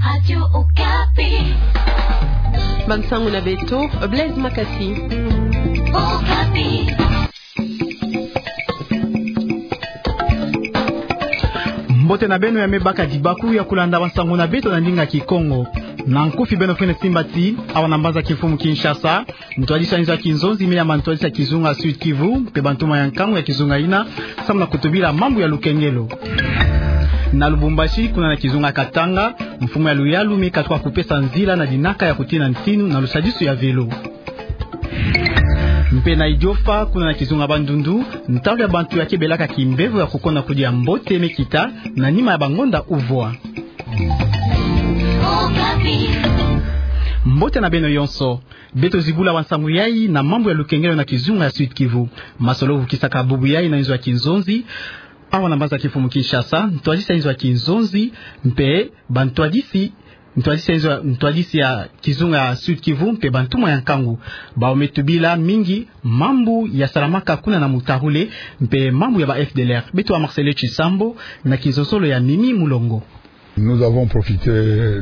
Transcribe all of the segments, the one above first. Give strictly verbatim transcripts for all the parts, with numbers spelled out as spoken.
Radio Okapi. Bansango na beto, Blaise Makasi. Okapi. Mbote na beno, ya me baka dibaku ya kulanda bansango na beto na ndinga Kikongo. Na nkufi, beno fwene simba ti awa na mbanza kimfumu Kinshasa, ntwadisi ya nzo ya kinzonzi me yamba ntwadisi ya kizunga Sud-Kivu mpe bantuma ya nkangu ya kizunga yina, samu na kutubila mambu ya lukengelo. Na Lubumbashi, kuna na kizunga Katanga, mfumu ya luyalu me katuka kupesa nzila na dinaka ya kutina ntinu na lusadisu ya velo. Mpe na Idiofa, kuna na kizunga Bandundu, ntalu ya bantu ya kebelaka kimbevo ya kukonda kudia mbote me kita na nima ya bangonda uvwa. Mbote na beno yonso. Beto zibula bansango yai na mambu ya lukengelo na kizunga ya Sud-Kivu. Masolo vukisaka bubu yai na nzo ya kinzonzi, awa na mbanza kimfumu Kinshasa, ntwadisi ya nzo ya kinzonzi mpe bantwadisi, ntwadisi ya nzo, ntwadisi ya kizunga ya Sud-Kivu mpe bantuma ya nkangu, bawu me tubila mingi mambu ya salamaka kuna na Mutarule mpe mambu ya ba F D L R. Beto wa Marcelo Chisambo na kizosolo ya Mimi Mulongo. Nous avons profité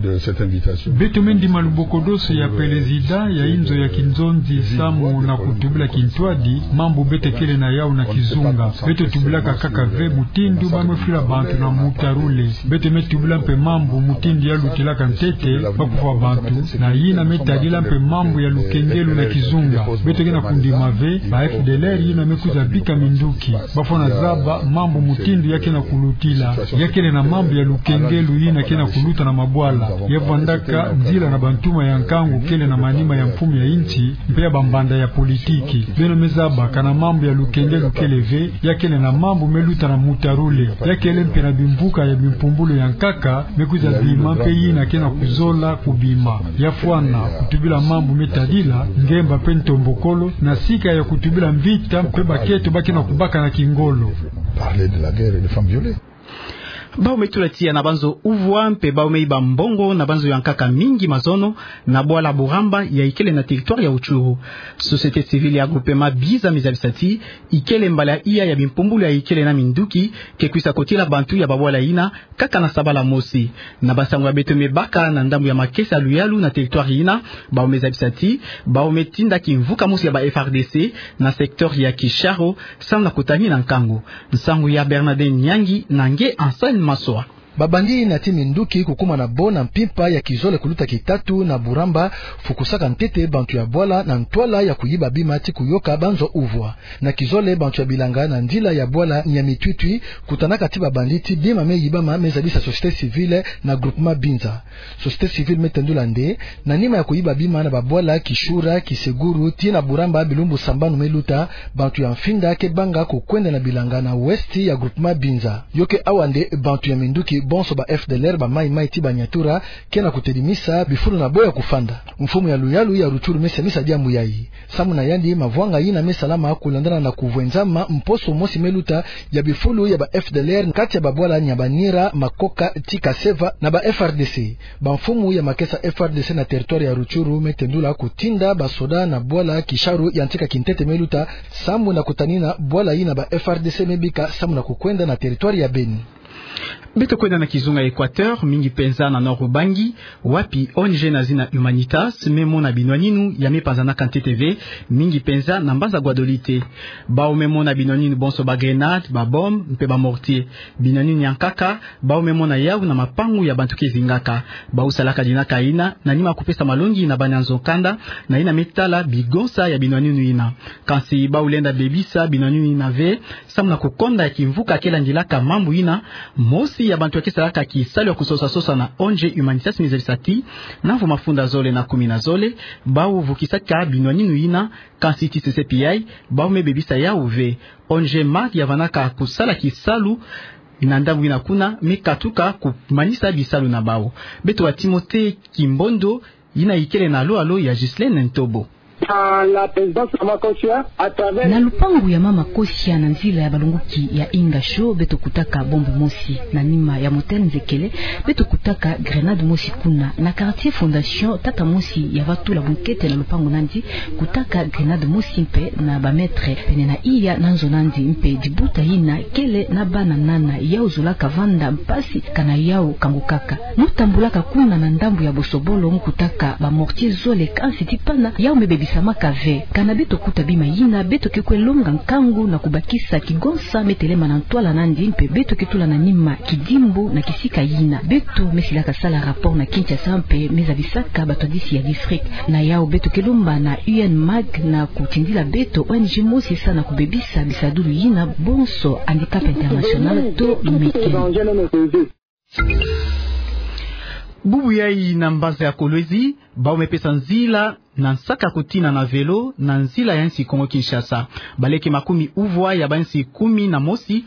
de cette invitation. Beto me ndima lubokodoso ya pelezida ya nzo ya kinzonzi samu na kutubila kintwadi mambu beto kele na yau na kizunga. Beto tubilaka kaka ve mutindu ba me fwila bantu na Mutarule. Beto me tubila mpe mambu mutindu ya lutilaka ntete ba kufwa bantu, na yina me tadila mpe mambu ya lukengelo na kizunga. Beto ke na kundima ve ba F D L R yina me kwiza bika minduki. Ba fwana zaba mambu mutindu ya ke na kulutila. Ya kele na mambu ya lukengelo yina ke na kuluta na mabwala. Ya vwandaka nzila na bantuma ya nkangu kele na manima ya mfumu ya insi mpe ya bambanda ya politiki. Beno me zaba kana mambu ya lukengelo kele ve, ya kele na mambu me luta na Mutarule. Ya kele mpe na bimvuka ya bimpumbulu ya nkaka me kwiza bima mpe yina ke na kuzola kubima. Ya fwana kutubila mambu me tadila ngemba mpe ntombokolo, na sika ya kutubila mvita mpe bakento ba ke na kubaka na kingolo. Parler de la guerre et des femmes violées. Bawu me tula tiya na banzo uvwa mpe bawu me iba mbongo na banzo ya nkaka mingi mazono na bwala Buramba ya ikele na territoire ya Rutshuru. Société civile ya groupement Binza me zabisa ti ikele mbala iya ya bimpumbulu ya ikele na minduki ke kwisa kotila bantu ya babwala yina, kaka na sabala mosi. Na bansango ya beto me baka na ndambu ya makesa ya luyalu na territoire yina, bawu me zabisa ti bawu me tinda kimvuka mosi ya ba F R D C na secteur ya Kisharo, samu na kutanina nkangu. Nsangu ya Bernardin Nyangi na nge Anselme Maswa. Babandi na ti minduki kukuma na bo na mpimpa ya kizole kuluta kitatu na Buramba, fukusaka ntete bantu ya bwala na ntwala ya kuyiba bima ti kuyoka banzo uvwa. Na kizole, bantu ya bilanga na nzila ya bwala Nyamitwitwi kutanaka ti babandi ti bima me yibama, me zabisa société civile na groupement Binza. Société civile me tendula nde, na nima ya kuyiba bima na babwala Kishura, Kiseguru, tii na Buramba bilumbu sambanu me luta, bantu ya mfinda ke banga kukwenda na bilanga na ouest ya groupement Binza. Yo ke awa nde bantu ya minduki bonso ba F D L R, ba maï-maï tii ba Nyatura, ke na kutelimisa bifulu na bo ya kufanda. Mfumu ya luyalu ya Rutshuru me semisa diambu yayi. Samu na yandi, mavwanga yina me salama kulandana na kuvwenzama mposo mosi me luta ya bifulu ya ba F D L R kati ya babwala Nyabanira, Makoka tii Kaseva na ba F R D C. Bamfumu ya makesa F R D C na territoire ya Rutshuru me tendula kutinda basoda na bwala Kisharo ya ntika kintete me luta, samu na kutanina bwala yina ba F R D C me bika samu na kukwenda na territoire ya Beni. Beto kwenda na kizunga Equateur, mingi penza na Nord-Ubangi, wapi O N G na zina Humanitas me mona binwaninu ya me panzanaka ntete ve, mingi penza na mbanza Guadolite. Bawu me mona binwaninu bonso ba grenades, ba bombes mpe ba mortiers. Binwaninu ya nkaka, bawu me mona yawu na mapangu ya bantu ke zingaka. Bawu salaka dinaka yina na nima kupesa malongi na banyanzo-kanda na yina me tala bigonsa ya binwaninu yina. Kansi bawu lenda bebisa binwaninu yina ve, samu na kukonda ya kimvuka ke landilaka mambu yina. Mosi ya bantu ya ke salaka kisalu ya kusosa-sosa na O N G Humanitas me zabisa ti, na mvu mafunda zole na kumi na zole, bawu vukisaka binwaninu yina, kansi tii sesepi yayi, bawu me bebisa yawu ve. O N G MAD ya vandaka kusala kisalu na ndambu yina kuna, me katuka kumanisa bisalu na bawu. Beto wa Timothée Kimbondo, yina ikele na alo-alo ya Ghislaine Ntobo. à la présidence Mama Kosia, à travers... Na lupangu ya Mama Kosia, na nzila ya balongoki ya Ingasho, beto kutaka bombe mosi. Na nima ya motel Nzekele, beto kutaka grenade mosi kuna. Na quartier Fondation, tata mosi ya va tula bunkete na lupangu nandi, kutaka grenade mosi mpe na ba mètre pene na iya na nzo nandi, mpe dibuta yina kele na bana nana, yau zolaka vanda mpasi, kana yau kangukaka. Mu tambulaka kuna na ndambu ya bosobolo, mu kutaka ba mortier zole, kansi ti pana, yau me bebisamaka ve. Kana beto kuta bima yina, beto ke kwe longa nkangu na kubakisa kigonsa me telema na ntwala nandi, mpe beto ke tula na nima kidimbu na kisika yina. Beto me silaka sala rapport na Kinshasa mpe me zabisaka batwadisi ya district. Na yau beto ke lomba na U N MAG na kutindila beto O N G mosi sa na kubebisa bisadulu yina bonso, Handicap International to Mekeng. Bubu yai na mbanza ya Kolwezi, bau me pesa nzila na nsaka kutina na velo na nzila ya nsi Kongo Kinshasa. Baleke makumi uvwa ya bansi kumi na mosi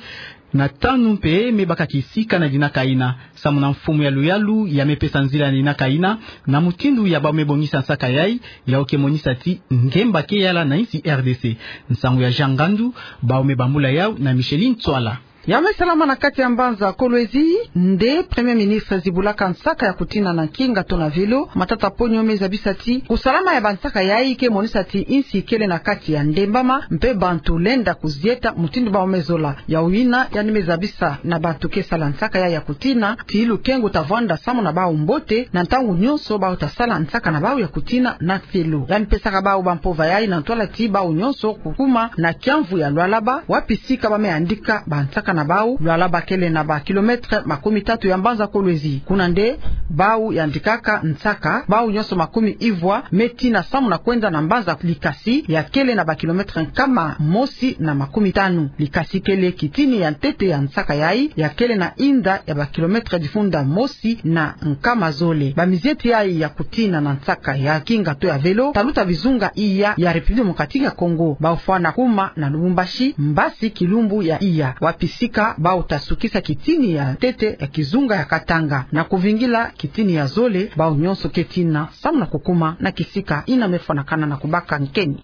na tanu mpe me baka kisika na dinaka yina. Samu na mfumu ya luyalu ya me pesa nzila na dinaka yina, na mutindu ya bau me bongisa nsaka yai, yau ke monisa ti ngemba ke yala na nsi R D C. Nsangu ya Jean Ngandu, bau me bambula yau na Micheline Tswala. Ya me salama na kati ya mbanza Kolwezi, nde Premier Ministre zibulaka nsaka ya kutina na nkinga to na velo, Matata Ponyo me zabisa ti kusalama ya bansaka yai ke monisa ti nsi kele na kati ya ndembama, mpe bantu lenda kuzieta mutindu bau me zola. Yau yina yandi me zabisa na bantu ke sala nsaka yai ya kutina ti lukengu ta vwanda samu na bau mbote na ntangu nyonso bau ta sala nsaka na bau ya kutina na velo. Yandi pesaka bau bampova yai na ntwala ti bau nyonso kukuma na kiamvu ya Lualaba, wapi sika ba me yandika bansaka na bau. Lualaba kele na ba kilomètre makumi tatu ya mbanza Kolwezi. Kuna nde bau yandikaka nsaka, bau nyonso makumi ivwa me tina samu na kwenda na mbanza Likasi, ya kele na ba kilomètre nkama mosi na makumi tanu. Likasi kele kitini ya ntete ya nsaka yai, ya kele na inda ya ba kilomètre difunda mosi na nkama zole. Bamizieti yai ya kutina na nsaka ya nkinga to ya velo, ta luta bizunga iya ya République Démocratique ya Congo. Bau fwana kuma na Lubumbashi, mbasi kilumbu ya iya, wapi sika bau ta sukisa kitini ya ntete ya kizunga ya Katanga, na kuvingila kitini ya zole. Bau nyonso ke tina samu na kukuma na kisika yina me fwanakana na kubaka nkeni.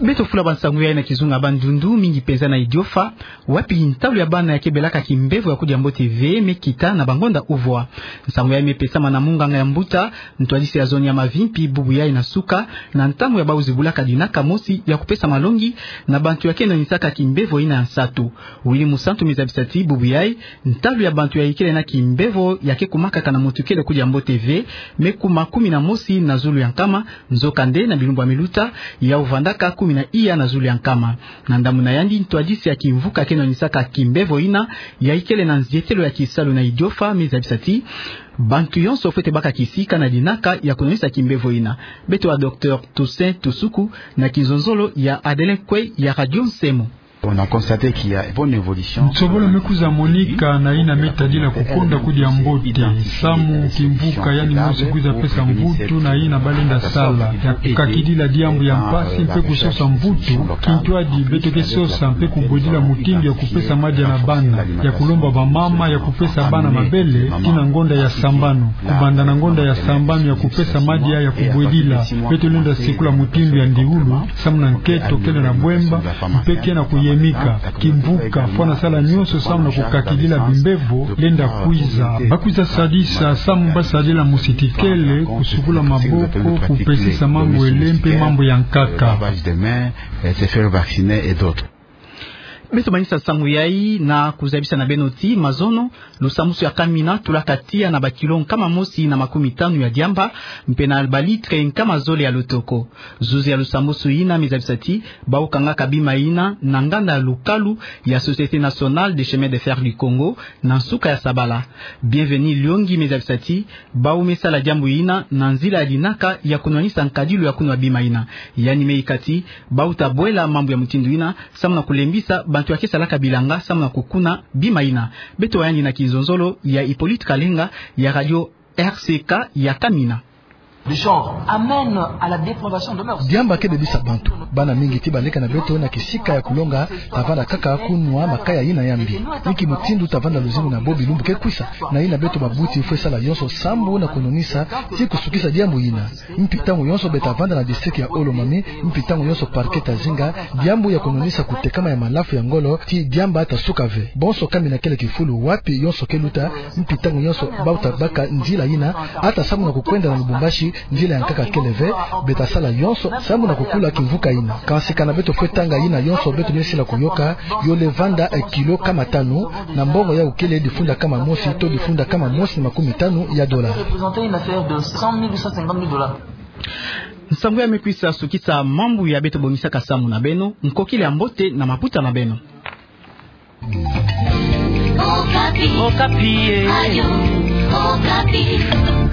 Beto fula bansangu yai na kizunga Bandundu, mingi penza na Idiofa, wapi ntalu ya bana ya ke belaka kimbevo ya kudia mbote ve me kita na bangonda uvwa. Nsangu yai me pesama na munganga ya mbuta, ntwadisi ya zone ya Mavimpi, bubu yai na suka, na ntangu ya bau zibulaka dinaka mosi ya kupesa malongi na bantu ya ke nanisaka kimbevo yina ya nsatu. Willy Musantu me zabisa ti bubu yai, ntalu ya bantu ya ikele na kimbevo ya ke kumakaka na mutu kele kudia mbote ve, me kuma kumi na mosi na zulu ya nkama, nzokande na bilumbu ya me luta, yau vandaka kumi na iya na zulu ya nkama. Na ndambu na yandi, ntwadisi ya kimvuka ke nanisaka kimbevo yina, ya ikele na nzietelo ya kisalu na Idiofa, me zabisa ti bantu yonso fwete baka kisika na dinaka ya kunanisa kimbevo yina. Beto wa Docteur Toussaint Tusuku na kinzonzolo ya Adelin Kwe ya Radio Nsemo. On a constaté qu'il y a une bonne évolution. Nsobolo me kwiza monika na yina me tadila kukonda kudia mbote, samu kimvuka yandi mosi kwiza pesa mvutu na yina balenda sala, ya kukakidila diambu ya mpasi mpe kusosa mvutu. Kintwadi beto ke sosa mpe kubwedila mutindu ya kupesa madia na bana, ya kulomba bamama ya kupesa bana mabele tii na ngonda ya sambanu. Kubanda na ngonda ya sambanu ya kupesa madia ya kubwedila, beto lenda sikula mutindu ya ndiulu, samu na nkento kele na bwemba, mpe ke na kuyemika. Kimvuka fwana sala nyonso samu na kukakidila bimbevo lenda kwiza. Ba kwiza sadisa samu ba sadila musitikele, kusukula maboko, kupesisa mambu ele mpe mambu ya nkaka. Lavage de main, euh, se faire vacciner et d'autres. Beto manisa nsangu yai na kuzabisa na beno ti mazono, lusambwasu ya Kamina tulaka tiya na bakilo nkama mosi na makumi tanu ya diamba, mpe na balitre nkama zole ya lotoko. Zuzi ya lusambwasu yina me zabisa ti bau kangaka bima yina na nganda ya lukalu ya Société Nationale des Chemins de Fer du Congo na nsuka ya sabala. Bienvenu Liongi me zabisa ti bau me sala diambu yina na nzila ya dinaka ya kunwanisa nkadilu ya kunwa bima yina. Yandi me ika ti bau ta bwela mambu ya mutindu yina samu na kulembisa bantu ya ke salaka bilanga samu na kukuna bima yina. Beto wa yandi na kinzonzolo ya Hippolyte Kalenga ya Radio R C K ya Kamina. Diambu kebebisa bantu. Bana mingi ti baleka na beto na kisika ya kulonga, ta vanda kaka kunwa makaya yina ya mbi. Inki mutindu ta vanda luzingu na bo bilumbu ke kwisa? Na yina beto babunti fwe sala yonso sambu na kunwanisa ti kusukisa diambu yina. Mpi ntangu yonso beta vanda na district ya Haut-Lomami, mpi ntangu yonso parquet ta zinga, diambu ya kunwanisa kutekama ya malafu ya ngolo ti diamba ta suka ve. Bonso kamina kele kifulu wapi yonso ke luta, mpi ntangu yonso bau ta baka nzila yina, ata sambu na kukwenda na Lubumbashi, nzila ya nkaka kele ve, beta sala yonso sambu na kukula kimvuka yina. Kansi kana beto fwe tanga yina yonso beto me sila kuyoka, yo le vanda e kilo kama tanu, na mbongo yau kele difunda kama mosi to difunda kama mosi na makumi tanu ya dola. Nsangu ya me kwisa sukisa mambu ya beto bongisaka samu na beno, nkokila ya mbote na maputa na beno. Okapi. Okapi, eh. Radio Okapi.